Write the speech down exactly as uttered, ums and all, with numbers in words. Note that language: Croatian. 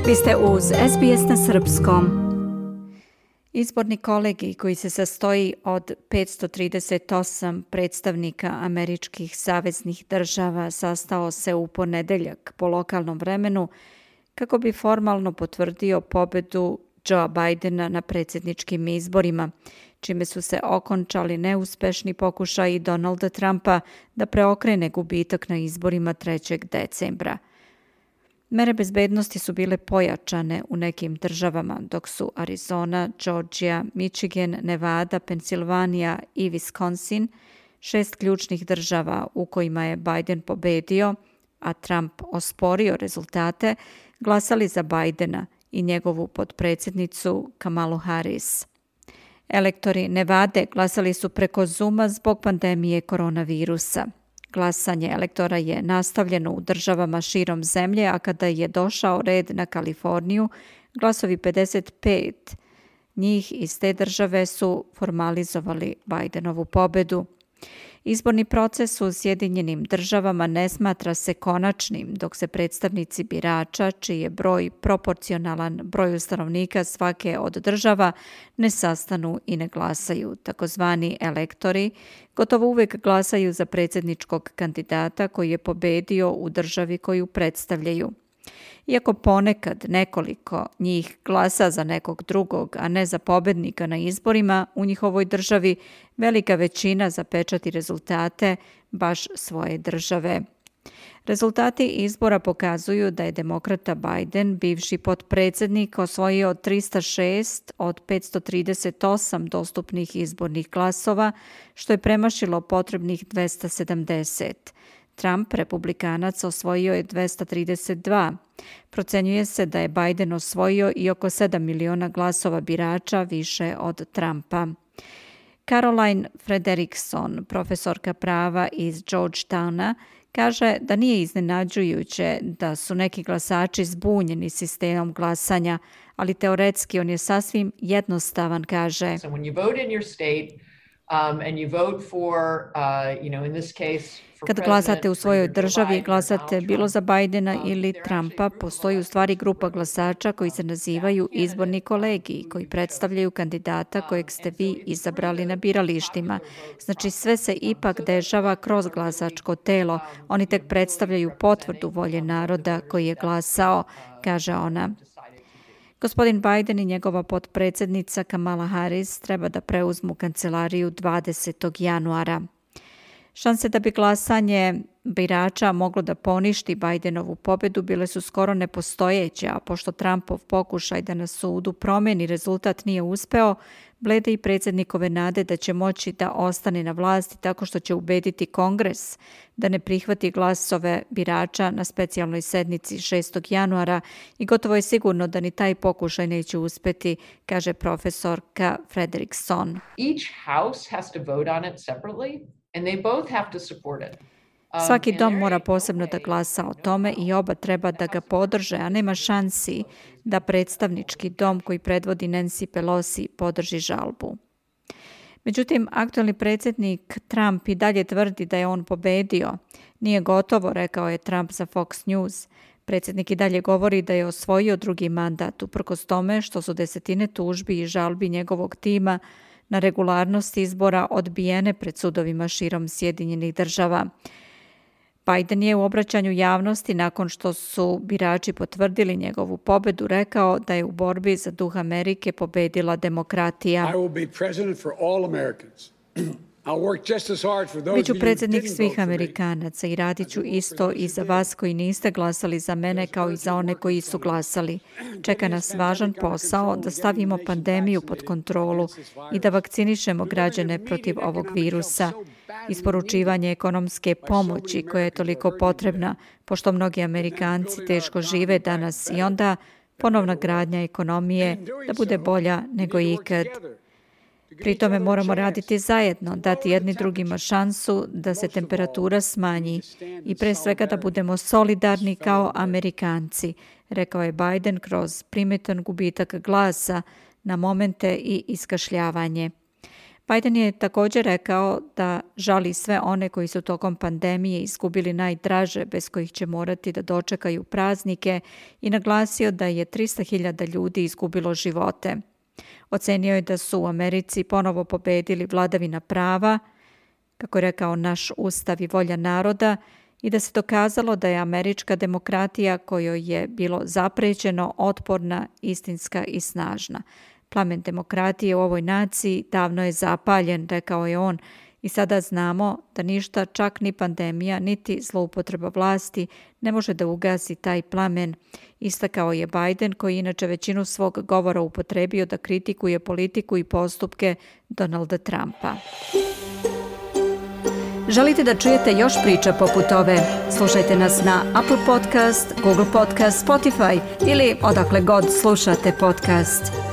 Vi ste uz S B S na srpskom. Izborni kolegij koji se sastoji od petsto trideset osam predstavnika američkih saveznih država sastao se u ponedeljak po lokalnom vremenu kako bi formalno potvrdio pobedu Joea Bidena na predsjedničkim izborima, čime su se okončali neuspešni pokušaji Donalda Trumpa da preokrene gubitak na izborima trećeg decembra. Mere bezbednosti su bile pojačane u nekim državama, dok su Arizona, Georgia, Michigan, Nevada, Pensilvanija i Wisconsin, šest ključnih država u kojima je Biden pobedio, a Trump osporio rezultate, glasali za Bidena i njegovu potpredsjednicu Kamalu Harris. Elektori Nevade glasali su preko Zooma zbog pandemije koronavirusa. Glasanje elektora je nastavljeno u državama širom zemlje, a kada je došao red na Kaliforniju, glasovi pedeset pet njih iz te države su formalizovali Bidenovu pobedu. Izborni proces u Sjedinjenim državama ne smatra se konačnim, dok se predstavnici birača, čiji je broj proporcionalan broju stanovnika svake od država, ne sastanu i ne glasaju. Takozvani elektori gotovo uvijek glasaju za predsjedničkog kandidata koji je pobedio u državi koju predstavljaju. Iako ponekad nekoliko njih glasa za nekog drugog, a ne za pobednika na izborima, u njihovoj državi velika većina zapečati rezultate baš svoje države. Rezultati izbora pokazuju da je demokrata Biden, bivši potpredsjednik, osvojio tristo šest od petsto trideset osam dostupnih izbornih glasova, što je premašilo potrebnih dvesta sedamdeset. Trump, republikanac, osvojio je dvesta trideset dva. Procenjuje se da je Biden osvojio i oko sedam miliona glasova birača više od Trumpa. Caroline Frederickson, profesorka prava iz Georgetowna, kaže da nije iznenađujuće da su neki glasači zbunjeni sistemom glasanja, ali teoretski on je sasvim jednostavan, kaže. So when you vote in your state um, and you vote for, uh, you know, in this case, Kad glasate u svojoj državi, glasate bilo za Bidena ili Trumpa, postoji u stvari grupa glasača koji se nazivaju izborni kolegiji, koji predstavljaju kandidata kojeg ste vi izabrali na biralištima. Znači sve se ipak dešava kroz glasačko telo. Oni tek predstavljaju potvrdu volje naroda koji je glasao, kaže ona. Gospodin Biden i njegova potpredsjednica Kamala Harris treba da preuzmu kancelariju dvadesetog januara. Šanse da bi glasanje birača moglo da poništi Bidenovu pobedu bile su skoro nepostojeće, a pošto Trumpov pokušaj da na sudu promijeni rezultat nije uspeo, blede i predsjednikove nade da će moći da ostane na vlasti tako što će ubediti Kongres da ne prihvati glasove birača na specijalnoj sednici šestog januara i gotovo je sigurno da ni taj pokušaj neće uspeti, kaže profesorka Frederickson. Each house has to vote on it separately. And they both have to support it. Svaki dom mora posebno da glasa o tome i oba treba da ga podrže, a nema šansi da predstavnički dom koji predvodi Nancy Pelosi podrži žalbu. Međutim, aktualni predsjednik Trump i dalje tvrdi da je on pobedio. Nije gotovo, rekao je Trump za Fox News. Predsjednik i dalje govori da je osvojio drugi mandat, uprkos tome što su desetine tužbi i žalbi njegovog tima na regularnost izbora odbijene pred sudovima širom Sjedinjenih država. Biden je u obraćanju javnosti nakon što su birači potvrdili njegovu pobedu rekao da je u borbi za duh Amerike pobedila demokratija. I will be president for all Americans. I'll work just as hard for those Biću of you who predsjednik didn't svih vote for me. Amerikanaca i radit ću isto i za vas koji niste glasali za mene kao i za one koji su glasali. Čeka nas važan posao da stavimo pandemiju pod kontrolu i da vakcinišemo građane protiv ovog virusa. Isporučivanje ekonomske pomoći koja je toliko potrebna, pošto mnogi Amerikanci teško žive danas i onda ponovna gradnja ekonomije da bude bolja nego ikad. Pri tome moramo raditi zajedno, dati jedni drugima šansu da se temperatura smanji i pre svega da budemo solidarni kao Amerikanci, rekao je Biden kroz primetan gubitak glasa na momente i iskašljavanje. Biden je također rekao da žali sve one koji su tokom pandemije izgubili najdraže, bez kojih će morati da dočekaju praznike, i naglasio da je trista hiljada ljudi izgubilo živote. Ocenio je da su u Americi ponovo pobedili vladavina prava, kako je rekao, naš ustav i volja naroda, i da se dokazalo da je američka demokratija, kojoj je bilo zaprećeno, otporna, istinska i snažna. Plamen demokratije u ovoj naciji davno je zapaljen, rekao je on, i sada znamo da ništa, čak ni pandemija, niti zloupotreba vlasti ne može da ugasi taj plamen, istakao je Biden, koji inače većinu svog govora upotrebio da kritikuje politiku i postupke Donalda Trumpa. Želite da čujete još priča poput ove? Slušajte nas na Apple Podcast, Google Podcast, Spotify ili odakle god slušate podcast.